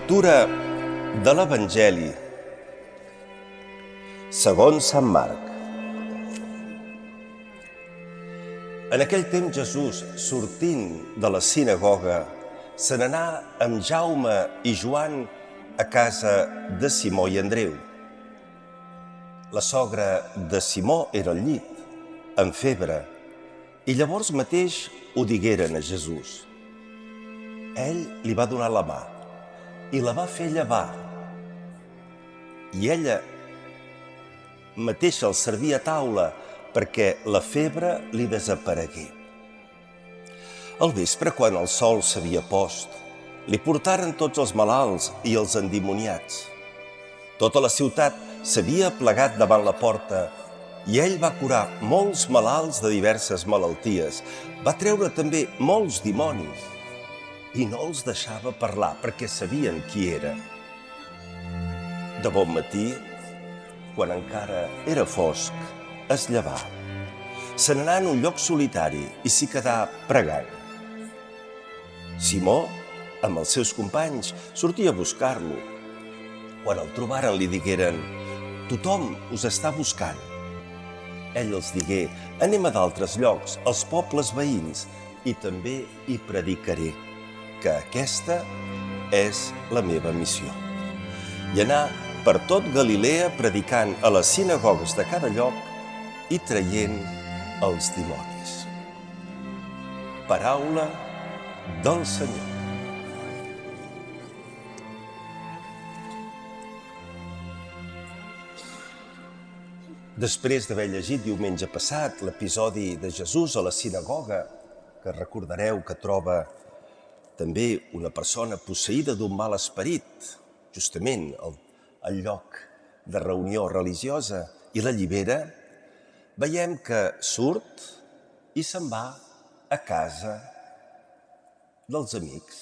Lectura de l'Evangeli segons Sant Marc. En aquell temps Jesús, sortint de la sinagoga, se n'anà amb Jaume i Joan a casa de Simó i Andreu. La sogra de Simó era al llit, amb febre, i llavors mateix ho digueren a Jesús. Ell li va donar la mà i la va fer llevar. I ella mateixa el servia a taula perquè la febre li desaparegué. Al vespre, quan el sol s'havia post, li portaren tots els malalts i els endimoniats. Tota la ciutat s'havia plegat davant la porta i ell va curar molts malalts de diverses malalties. Va treure també molts dimonis i no els deixava parlar perquè sabien qui era. De bon matí, quan encara era fosc, es llevà. Se n'anà en un lloc solitari i s'hi quedà pregant. Simó, amb els seus companys, sortia a buscar-lo. Quan el trobaren li digueren: «Tothom us està buscant». Ell els digué: «Anem a d'altres llocs, als pobles veïns, i també hi predicaré, que aquesta és la meva missió». I anar per tot Galilea predicant a les sinagogues de cada lloc i traient els dimonis. Paraula del Senyor. Després d'haver llegit diumenge passat l'episodi de Jesús a la sinagoga, que recordareu que troba també una persona posseïda d'un mal esperit, justament al lloc de reunió religiosa, i l'allibera, veiem que surt i se'n va a casa dels amics.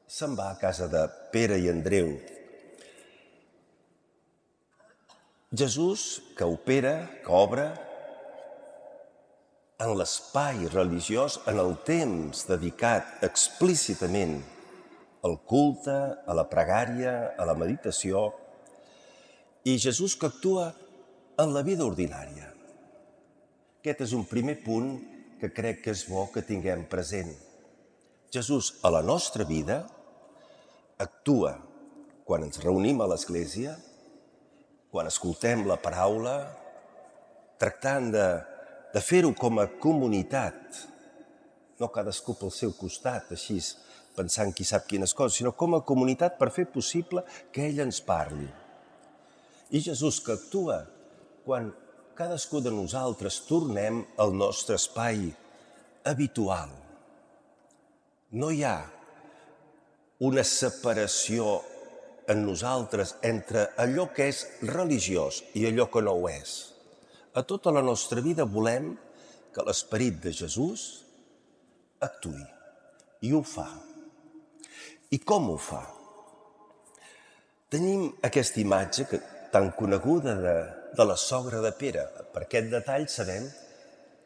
Se'n va a casa de Pere i Andreu. Jesús, que opera, que obre en l'espai religiós, en el temps dedicat explícitament al culte, a la pregària, a la meditació, i Jesús que actua en la vida ordinària. Aquest és un primer punt que crec que és bo que tinguem present. Jesús a la nostra vida actua quan ens reunim a l'Església, quan escoltem la paraula, tractant de fer-ho com a comunitat, no cadascú pel seu costat, així pensant qui sap quines coses, sinó com a comunitat per fer possible que ell ens parli. I Jesús que actua quan cadascú de nosaltres tornem al nostre espai habitual. No hi ha una separació en nosaltres entre allò que és religiós i allò que no ho és. A tota la nostra vida volem que l'esperit de Jesús actuï. I ho fa. I com ho fa? Tenim aquesta imatge tan coneguda de la sogra de Pere. Per aquest detall sabem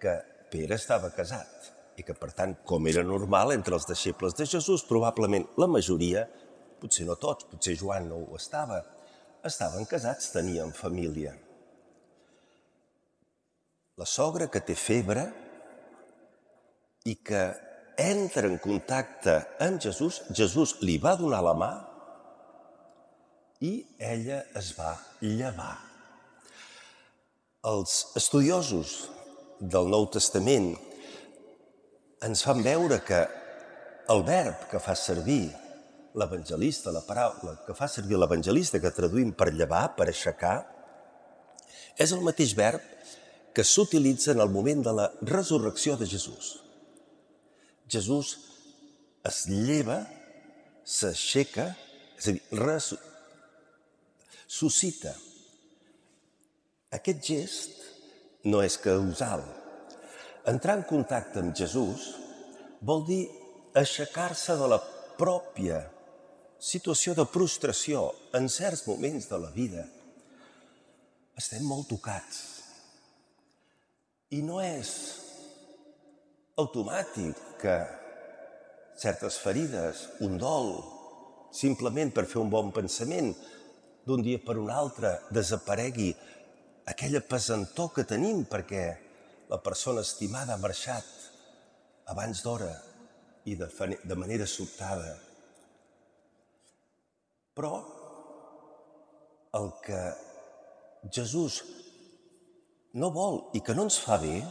que Pere estava casat i que, per tant, com era normal entre els deixebles de Jesús, probablement la majoria, potser no tots, potser Joan no ho estava, estaven casats, tenien família. La sogra que té febre i que entra en contacte amb Jesús, Jesús li va donar la mà i ella es va llevar. Els estudiosos del Nou Testament ens fan veure que el verb que fa servir l'evangelista, la paraula que fa servir l'evangelista, que traduïm per llevar, per aixecar, és el mateix verb que s'utilitza en el moment de la resurrecció de Jesús. Jesús es lleva, s'aixeca, és a dir, suscita. Aquest gest no és causal. Entrar en contacte amb Jesús vol dir aixecar-se de la pròpia situació de prostració en certs moments de la vida. Estem molt tocats. I no és automàtic que certes ferides, un dol, simplement per fer un bon pensament, d'un dia per un altre desaparegui aquella pesantor que tenim perquè la persona estimada ha marxat abans d'hora i de manera sobtada. Però el que Jesús no vol i que no ens fa bé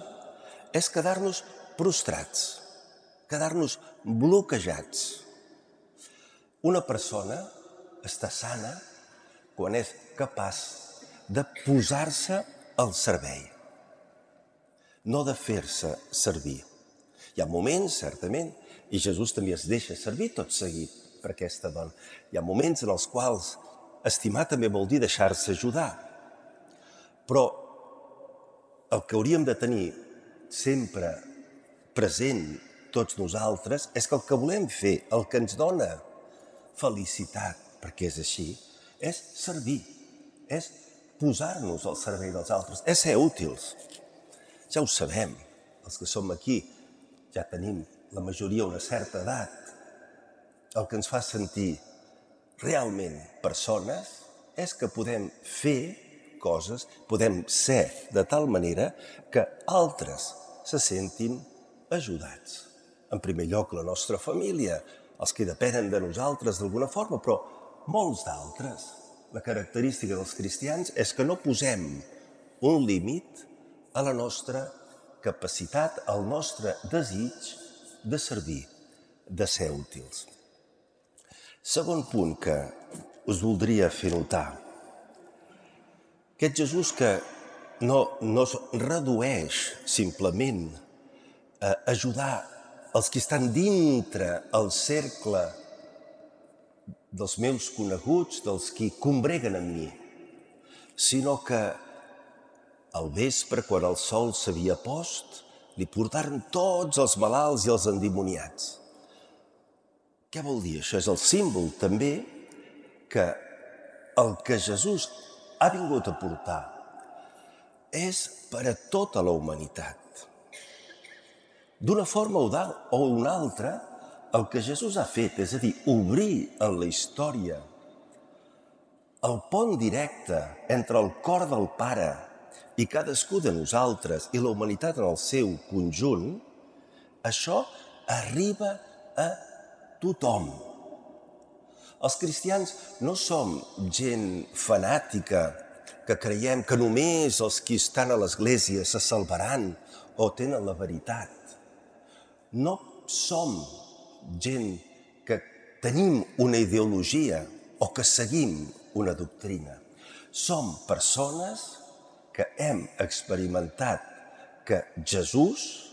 és quedar-nos prostrats, quedar-nos bloquejats. Una persona està sana quan és capaç de posar-se al servei, no de fer-se servir. Hi ha moments, certament, i Jesús també es deixa servir tot seguit per aquesta dona. Hi ha moments en els quals estimar també vol dir deixar-se ajudar. Però el que hauríem de tenir sempre present tots nosaltres és que el que volem fer, el que ens dona felicitat, perquè és així, és servir, és posar-nos al servei dels altres, és ser útils. Ja ho sabem, els que som aquí ja tenim la majoria una certa edat. El que ens fa sentir realment persones és que podem fer coses, podem ser de tal manera que altres se sentin ajudats. En primer lloc, la nostra família, els que depenen de nosaltres d'alguna forma, però molts d'altres. La característica dels cristians és que no posem un límit a la nostra capacitat, al nostre desig de servir, de ser útils. Segon punt que us voldria fer notar. Aquest Jesús que no es redueix simplement a ajudar els que estan dintre el cercle dels meus coneguts, dels qui combreguen amb mi, sinó que al vespre, quan el sol s'havia post, li portaren tots els malalts i els endimoniats. Què vol dir? Això és el símbol també que el que Jesús ha vingut a portar és per a tota la humanitat. D'una forma o una altra, el que Jesús ha fet, és a dir, obrir en la història el pont directe entre el cor del Pare i cadascú de nosaltres i la humanitat en el seu conjunt, això arriba a tothom. Els cristians no som gent fanàtica que creiem que només els que estan a l'església se salvaran o tenen la veritat. No som gent que tenim una ideologia o que seguim una doctrina. Som persones que hem experimentat que Jesús,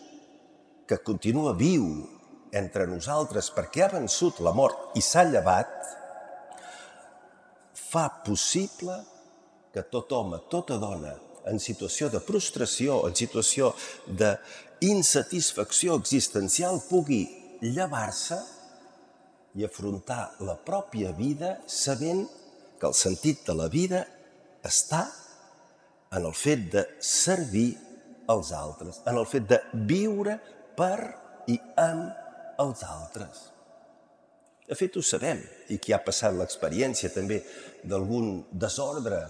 que continua viu entre nosaltres perquè ha vençut la mort i s'ha llevat, fa possible que tot home, tota dona, en situació de prostració, en situació d'insatisfacció existencial, pugui llevar-se i afrontar la pròpia vida sabent que el sentit de la vida està en el fet de servir els altres, en el fet de viure per i amb els altres. De fet, ho sabem, i qui ha passat l'experiència també d'algun desordre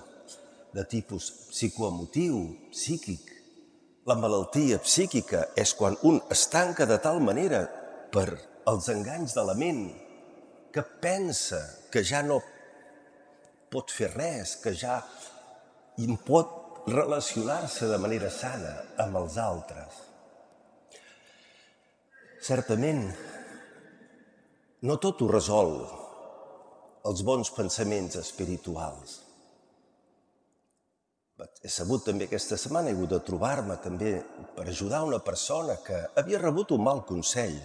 de tipus psicoemotiu, psíquic. La malaltia psíquica és quan un es tanca de tal manera per els enganys de la ment que pensa que ja no pot fer res, que ja pot relacionar-se de manera sana amb els altres. Certament, no tot ho resol els bons pensaments espirituals. He sabut també aquesta setmana, he hagut de trobar-me també per ajudar una persona que havia rebut un mal consell,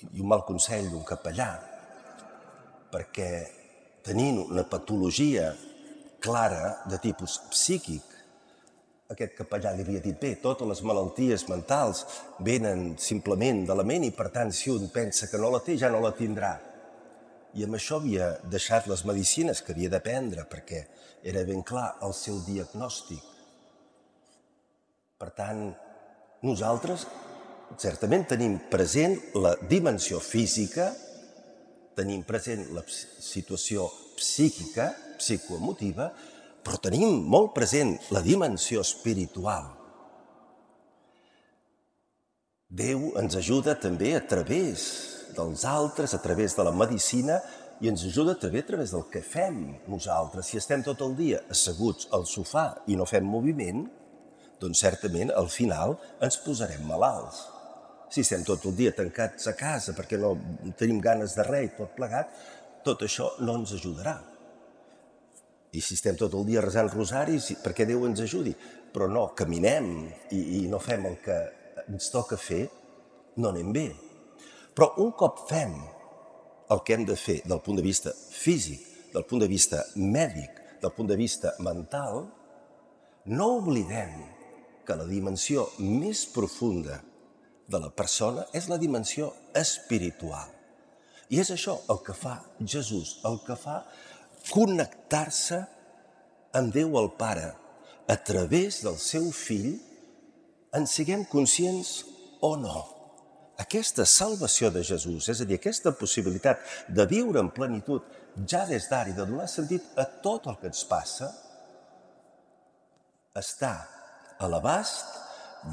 i un mal consell d'un capellà, perquè tenint una patologia clara de tipus psíquic, aquest capellà li havia dit, bé, totes les malalties mentals venen simplement de la ment i, per tant, si un pensa que no la té, ja no la tindrà. I amb això havia deixat les medicines que havia de prendre perquè era ben clar el seu diagnòstic. Per tant, nosaltres certament tenim present la dimensió física, tenim present la situació psíquica, psicoemotiva, però tenim molt present la dimensió espiritual. Déu ens ajuda també a través dels altres, a través de la medicina, i ens ajuda també a través del que fem nosaltres. Si estem tot el dia asseguts al sofà i no fem moviment, doncs certament al final ens posarem malalts. Si estem tot el dia tancats a casa perquè no tenim ganes de res i tot plegat, tot això no ens ajudarà. I si estem tot el dia resant rosaris, perquè Déu ens ajudi, però no caminem i no fem el que ens toca fer, no anem bé. Però un cop fem el que hem de fer del punt de vista físic, del punt de vista mèdic, del punt de vista mental, no oblidem que la dimensió més profunda de la persona és la dimensió espiritual. I és això el que fa Jesús, el que fa connectar-se amb Déu el Pare a través del seu Fill, en siguem conscients o no. Aquesta salvació de Jesús, és a dir, aquesta possibilitat de viure en plenitud ja des d'ara i de donar sentit a tot el que ens passa, està a l'abast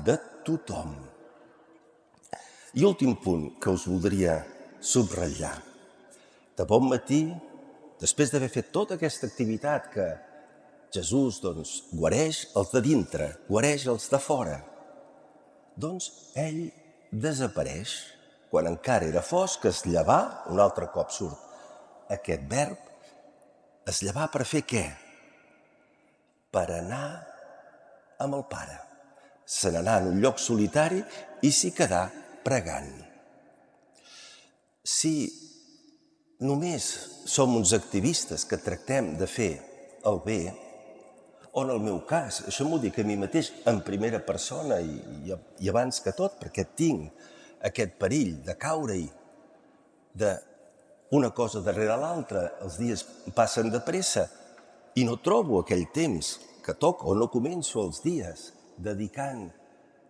de tothom. I últim punt que us voldria subratllar. De bon matí, després d'haver fet tota aquesta activitat que Jesús guareix els de dintre, guareix els de fora, doncs ell desapareix. Quan encara era fosc, es llevà, un altre cop surt aquest verb, es llevà per fer què? Per anar amb el Pare. Se n'anà en un lloc solitari i s'hi quedà pregant. Si només som uns activistes que tractem de fer el bé, o en el meu cas, això m'ho dic a mi mateix en primera persona i abans que tot, perquè tinc aquest perill de caure-hi d'una cosa darrere l'altra, els dies passen de pressa i no trobo aquell temps que toca, o no començo els dies dedicant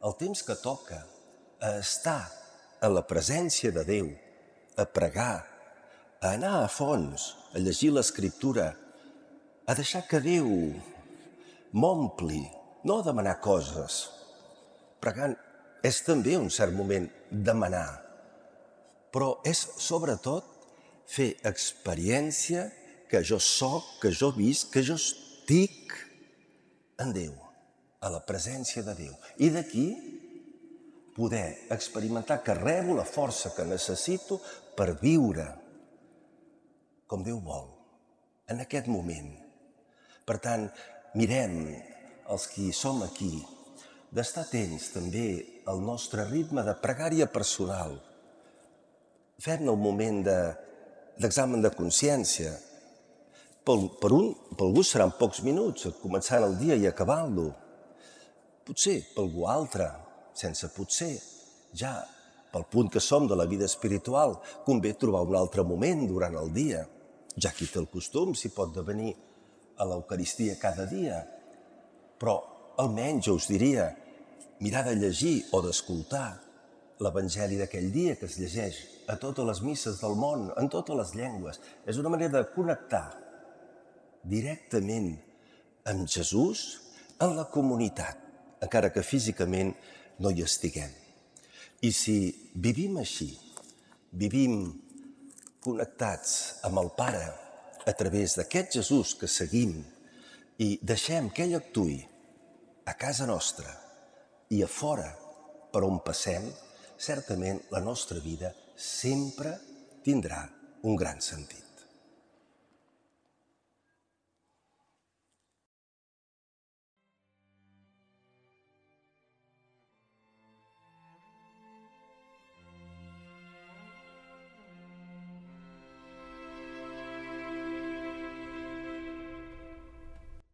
el temps que toca a estar en la presència de Déu, a pregar, a anar a fons, a llegir l'Escriptura, a deixar que Déu m'ompli, no demanar coses. Pregant és també un cert moment demanar, però és sobretot fer experiència que jo soc, que jo visc, que jo estic en Déu, a la presència de Déu. I d'aquí poder experimentar que rebo la força que necessito per viure com Déu vol, en aquest moment. Per tant, mirem, els qui som aquí, d'estar atents també al nostre ritme de pregària personal. Fem-ne un moment d'examen de consciència. Per algú seran pocs minuts, començant el dia i acabant-lo. Potser per algú altre, sense potser, ja pel punt que som de la vida espiritual, convé trobar un altre moment durant el dia. Ja qui té el costum s'hi pot devenir a l'Eucaristia cada dia, però almenys jo us diria mirar de llegir o d'escoltar l'Evangeli d'aquell dia que es llegeix a totes les misses del món, en totes les llengües. És una manera de connectar directament amb Jesús en la comunitat, encara que físicament no hi estiguem. I si vivim així, vivim connectats amb el Pare a través d'aquest Jesús que seguim i deixem que ell actuï a casa nostra i a fora per on passem, certament la nostra vida sempre tindrà un gran sentit.